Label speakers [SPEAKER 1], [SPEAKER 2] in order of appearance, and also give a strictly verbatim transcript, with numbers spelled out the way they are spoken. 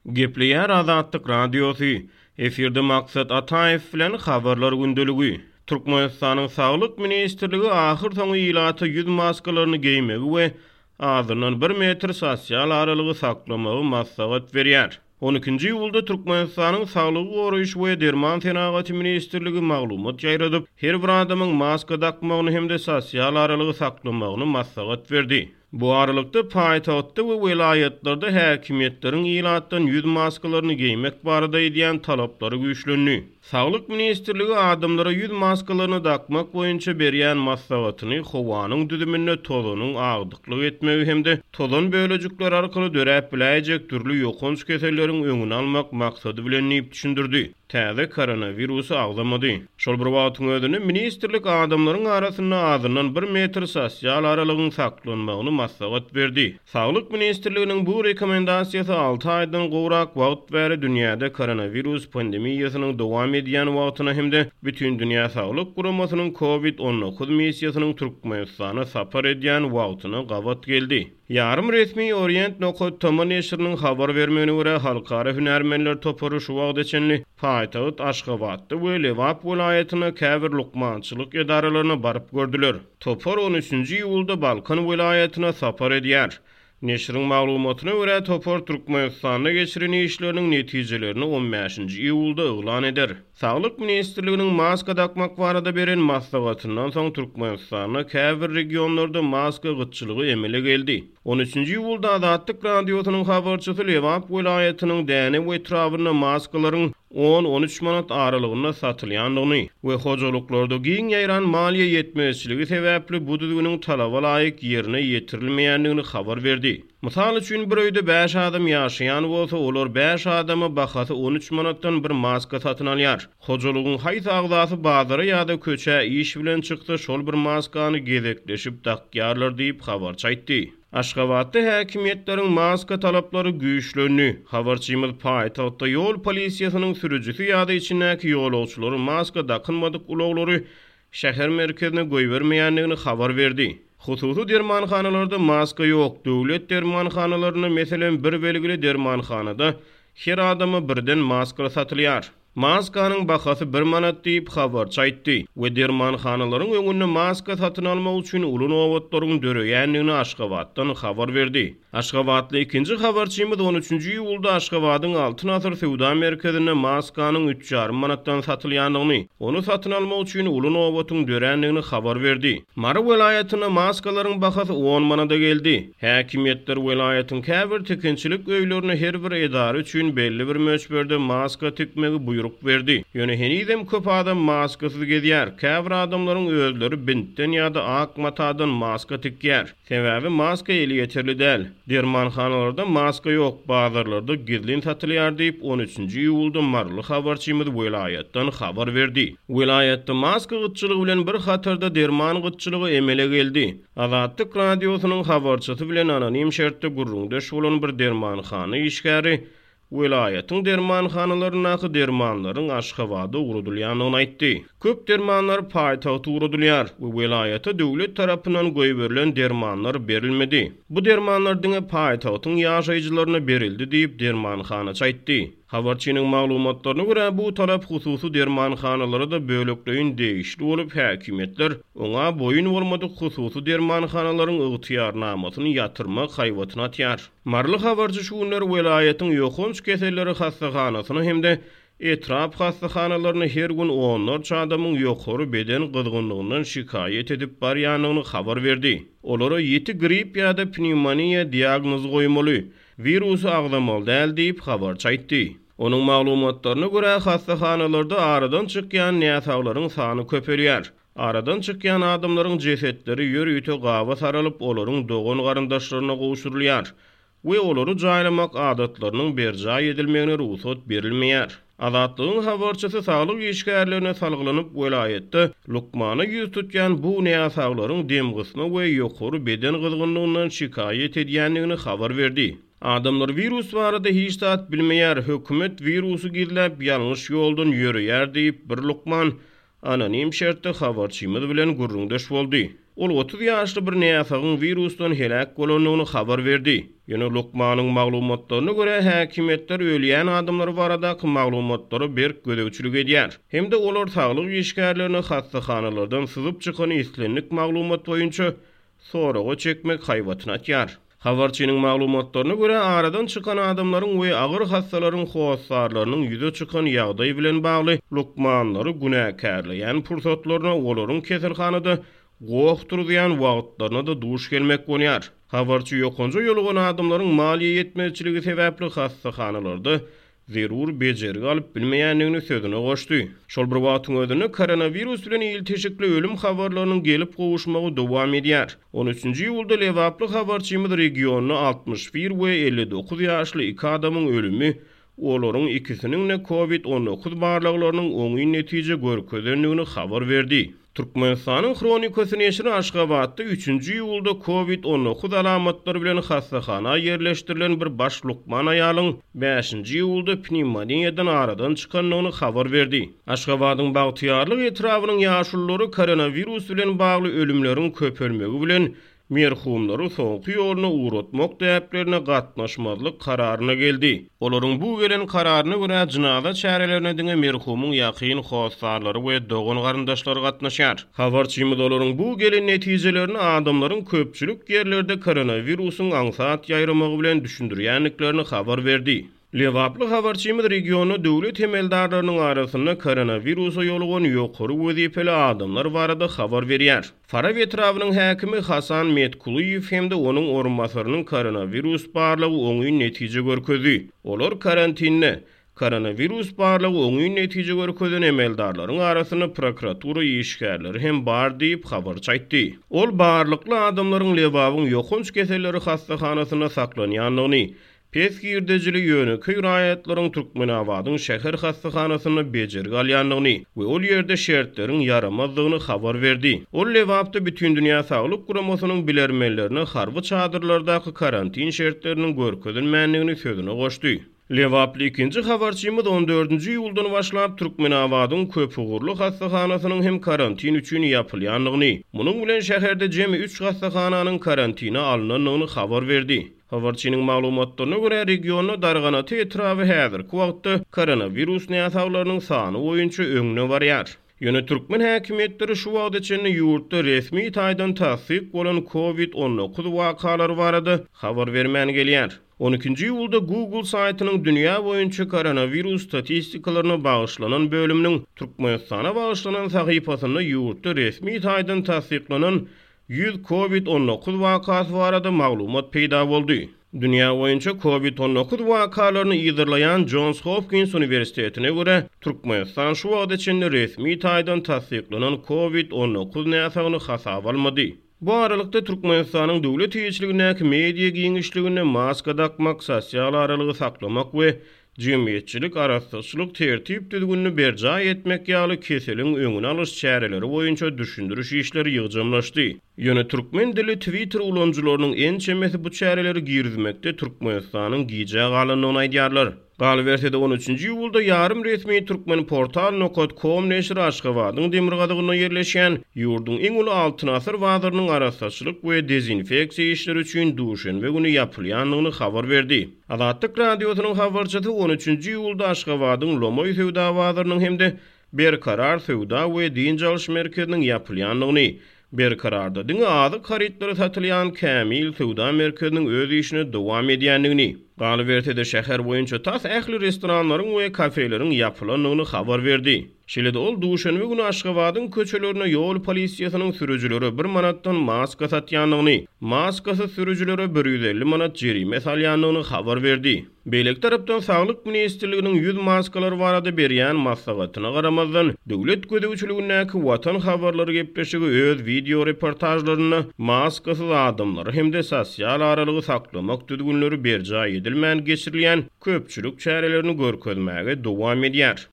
[SPEAKER 1] Gepleýär Azatlyk Radiosy. Efirde Maksat Ataýew bilen Habarlar gündeligi. Türkmenistanyň Saglyk ministrligi ahyrsoňy ilata ýüz maskalaryny geýmegi we azyndan bir metr sosial aralygy saklamagy maslahat berýär. On ikinji iýulda Türkmenistanyň Saglygy goraýyş we derman senagaty ministrligi maglumat ýaýradyp, her bir adamyň maska dakmagyny hem-de sosial aralygy saklamagyny maslahat berdi. Bu aralykda paýtagtda we welaýatlarda häkimiýetleriň ilatdan ýüz maskalaryny geýmek barada edýän talaplary güýçlendi. Saglyk ministrligi adamlara ýüz maskalaryny dakmak boýunça berýän maslahatyny howanyň düzüminde tozanyň agdyklyk etmegi hem-de tozan bölejikleri arkaly döräp biläýjek dürli ýokanç keselleriň öňüni almak maksady bilen diýip düşündirdi. Täze koronawirusy agzamady. Şol bir wagtyň özünde ministrlik adamlaryň arasynda azyndan bir metr sosial aralygyň saklanmagyny maslahat berdi. Saglyk ministrliginiň bu rekomendasiýasy alty aýdan gowrak wagt bäri dünýäde koronawirus pandemiýasynyň dowam edýän wagtyna hem-de Bütindünýä Saglyk Guramasynyň Covid on dokuz missiýasynyň Türkmenistana sapar edýän wagtyna gabat geldi. Ýarym resmi Orient nokat tm neşiriniň habar bermegine görä halkara hünärmenler topary şu wagta çenli paýtagt Aşgabatda we Lebap welaýatyna käbir lukmançylyk edaralaryna baryp gördüler. Topar on üçünji iýulda Balkan welaýatyna sapar edýär. Neşiriň maglumatyna görä topar Türkmenistanda geçiren işleriniň netijelerini on bäşinji iýulda yglan eder. Saglyk ministrliginiň maska dakmak barada beren maslahatyndan soň Türkmenistanda käbir regionlarda maska gytçylygy emele geldi. on üçünji iýulda Azatlyk Radiosynyň habarçysy Lebap welaýatynyň Dänew etrabynda maskalaryň on on üç manat aralygynda satylýandygyny we hojalyklarda giň ýaýran maliýe ýetmezçiligi sebäpli bu düzgüniň talaba laýyk ýerine ýetirilmeýändigini habar berdi. Mysal üçin bir öýde bäş adam ýaşaýan bolsa, olar bäş adama bahasy on üç manatdan bir maska satyn alýar. Hojalygyň haýsy agzasy bazara ýa-da köçä iş bilen çyksa, şol bir maskany gezekleşip dakýarlar diýip habarçy aýtdy. Aşgabatda häkimiýetleriň maska talaplary güýçlendi. Habarçymyz paýtagtda ýol polisiýasynyň sürüjisi ýa-da içindäki ýolagçylary maska dakynmadyk ulaglary şäher merkezine goýbermeýändigini habar berdi. Hususy dermanhanalarda maska ýok. Döwlet dermanhanalarynda, meselem, bir belgili dermanhanada her adama birden maska satylýar. Maskanyň bahasy bir manat diýip habarçy aýtdy we dermanhanalaryň öňünde maska satyn almak üçin uly nobatlaryň döreýändigini Aşgabatdan habar berdi. Aşgabatly ikinji habarçymyz on üçünji iýulda Aşgabadyň Altyn Asyr söwda merkezinde maskanyň üç ýarym manatdan satylýandygyny, ony satyn almak üçin uly nobatyň dörändigini habar berdi. Mary welaýatynda maskalaryň bahasy on manada geldi. Häkimiýetler welaýatyň käbir tikinçilik öýlerine her bir edara üçin belli bir möçberde maska tikmegi buýruk berdi. Ýöne henizem köp adam maskasyz gezýär. Käbir adamlaryň özleri bintden ýa-da ak matadan maska tikýär. Sebäbi maska elýeterli däl. Dermanhanalarda maska ýok, bazarlarda gizlin satylýar diýip on üçünji iýulda Maryly habarçymyz welaýatdan habar berdi. Welaýatda maska gytçylygy bilen bir hatarda derman gytçylygy emele geldi. Azatlyk Radiosynyň habarçysy bilen anonim şertde gürrüňdeş bolan bir dermanhana işgäri welaýatyň dermanhanalaryndaky dermanlaryň Aşgabada ugradylýandygyny aýtdy. Köp dermanlar paýtagta ugradylýar we welaýata döwlet tarapyndan goýberilen dermanlar berilmedi. Bu dermanlar diňe paýtagtyň ýaşaýjylaryna berildi diýip dermanhanaçy aýtdy. Habarçynyň maglumatlaryna görä bu talap hususy dermanhanalara da bölekleýin degişli bolup häkimiýetler oňa boýun bolmadyk hususy dermanhanalaryň ygtyýarnamasyny ýatyrmak haýbatyny atýar. Maryly habarçy şu günler welaýatyň ýokanç keselleri hassahanasyna hem-de etrap hassahanalaryna her gün onlarça adamyň ýokary beden gyzgynlygyndan şikaýat edip barýandygyny habar berdi. Olara ýiti grip ýa-da pnewmoniýa diagnozy goýmaly, wirusy agzamaly däl diýip habarçy aýtdy. Onuň maglumatlaryna görä hassahanalarda aradan çykýan näsaglaryň sany köpelýär. Aradan çykýan adamlaryň jesetleri ýörite gaba saralyp, olaryň dogan garyndaşlaryna gowşurylýar we olary jaýlamak adatlarynyň berjaý edilmegine rugsat berilmeýär. Azatlygyň habarçysy saglyk işgärlerine salgylanyp welaýatda lukmana ýüz tutýan bu näsaglaryň demgysma we ýokary beden gyzgynlygyndan şikaýat edýändigini habar berdi. Adamlar wirus barada hiç zat bilmeýär, hökümet wirusy gizläp ýalňyş ýoldan ýöreýär diýip bir lukman anonim şertde habarçymyz bilen gürrüňdeş boldy. Ol otuz ýaşly bir näsagyň wirusdan heläk bolandygyny habar berdi. Ýöne lukmanyň maglumatlaryna görä, häkimiýetler ölýän adamlar baradaky maglumatlara berk gözegçilik edýär. Hem-de olar saglyk işgärlerine hassahanalardan syzyp çykan islendik maglumat boýunça soraga çekmek haýbatyny atýar. Habarçynyň maglumatlaryna görä, aradan çykan adamlaryň we agyr hassalaryň hossarlarynyň ýüze çykan ýagdaý bilen bagly lukmanlary günäkärleýän pursatlaryna olaryň keselhanada goh turuzýan wagtlaryna da duş gelmek bolýar. Habarçy ýokanja ýolugan adamlaryň maliýe ýetmezçiligi sebäpli hassahanalarda zerur bejergi alyp bilmeýändigini sözüne goşdy. Şol bir wagtyň özünde koronawirus bilen ilteşikli ölüm habarlarynyň gelip gowuşmagy dowam edýär. on üçünji iýulda Lebaply habarçymyz regionda altmyş bir we elli dokuz ýaşly iki adamyň ölümi olaryň ikisiniň de kovid on dokuz barlaglarynyň oňyn netije görkezendigini habar berdi. Türkmenistanyň Hronikasy neşiri Aşgabatda üçünji iýulda kovid on dokuz alamatlary bilen hassahana ýerleşdirilen bir baş lukman aýalyň bäşinji iýulda pnevmoniýadan aradan çykandygyny habar berdi. Aşgabadyň Bagtyýarlyk etrabynyň ýaşululary koronawirus bilen bagly ölümleriň köpelmegi bilen merhumlary soňky ýoluna ugratmak däplerine gatnaşmazlyk kararyna geldi. Olaryň bu gelen kararyna görä jynaza çärelerine diňe merhumyň ýakyn hossarlary we dogan garyndaşlary gatnaşýar. Habarçymyz olaryň bu gelen netijelerini adamlaryň köpçülik ýerlerde koronawirusyň aňsat ýaýramagy bilen düşündirýändiklerini habar berdi. Lebaply habarçymyz regionda döwlet emeldarlarynyň arasynda koronawirusa ýolugan ýokary wezipeli adamlar barada habar berýär. Farap etrabynyň häkimi Hasan Metkulyýew hem-de onuň orunbasarynyň koronawirus barlagy oňyn netije görkezdi. Olar karantinde. Koronawirus barlagy oňyn netije görkezen emeldarlaryň arasynda prokuratura işgärleri hem bar diýip habarçy aýtdy. Ol barlykly adamlaryň Lebabyň ýokanç keselleri hassahanasynda saklanýandygyny, pes girdejili ýönekeý raýatlaryň Türkmenabadyň şäher hassahanasynda bejergi alýandygyny we ol ýerde şertleriň ýaramazdygyny habar berdi. Ol Lebapda Bütindünýä Saglyk Guramasynyň bilermenlerine harby çadyrlardaky karantin şertleriniň görkezilmändigini sözüne goşdy. Lebaply ikinji habarçymyz on dördünji iýuldan başlap Türkmenabadyň köpugurly hassahanasynyň hem karantin üçin ýapylýandygyny, munuň bilen şäherde jemi üç hassahananyň karantina alynandygyny habar berdi. Habarçynyň maglumatlaryna görä, regionda Darganata etraby häzirki wagtda koronawirus näsaglarynyň sany boýunça öňde barýar. Ýöne türkmen häkimiýetleri şu wagta çenli ýurtda resmi taýdan tassyk bolan kovid on dokuz wakalary barada habar bermän gelýär. on ikinji iýulda Google saýtynyň dünýä boýunça koronawirus statistikalaryna bagyşlanan bölüminiň Türkmenistana bagyşlanan sahypasynda ýurtda resmi taýdan tassyklanan ýüz kovid on dokuz wakasy barada maglumat peýda boldy. Dünýä boýunça kovid on dokuz wakalaryny yzarlaýan Johns Hopkins Uniwersitetine görä, Türkmenistan şu wagta çenli resmi taýdan tassyklanan kovid on dokuz näsagyny hasaba almady. Bu aralykda Türkmenistanyň döwlet eýeçiligindäki media giňişliginde maska dakmak, sosial aralygy saklamak we jemgyýetçilik arassaçylyk tertip düzgünini berjaý etmek ýaly keseliň öňüni alyş çäreleri boýunça düşündiriş işleri ýygjamlaşdy. Ýöne türkmen dili Twitter ulanyjylarynyň ençemesi bu çäreleri girizmekde Türkmenistanyň gijä galandygyny aýdýarlar. Galyberse-de on üçünji iýulda ýarym resmi Türkmenportal nokat com neşiri Aşgabadyň demirgazygynda ýerleşýän ýurduň iň uly Altyn Asyr bazarynyň arassaçylyk we dezinfeksiýa işleri üçin duşenbe güni ýapylýandygyny habar berdi. Azatlyk radiosynyň habarçysy on üçünji iýulda Aşgabadyň Lomaý söwda bazarynyň hem-de Berkarar söwda we dynç alyş merkeziniň ýapylýandygyny, Berkararda diňe azyk harytlary satylýan Kämil söwda merkeziniň öz işine dowam edýändigini, galyberse-de şäher boýunça tas ähli restoranlaryň we kafeleriň ýapylandygyny habar berdi. Şeýle-de ol duşenbe güni Aşgabadyň köçelerine ýol polisiýasynyň sürüjilere bir manatdan maska satýandygyny, maskasyz sürüjilere bir ýüz elli manat jerime salýandygyny habar berdi. Beýleki tarapdan Saglyk Ministrliginiň ýüz maskalar barada berýän maslahatyna garamazdan, döwlet gözegçiligindäki Watan habarlary gepleşigi öz video reportajlarynda maskasyz adamlary hem-de sosial aralygy saklamak düzgünleri berjaý edilmän geçirilýän köpçülik çärelerini görkezmäge dowam edýär.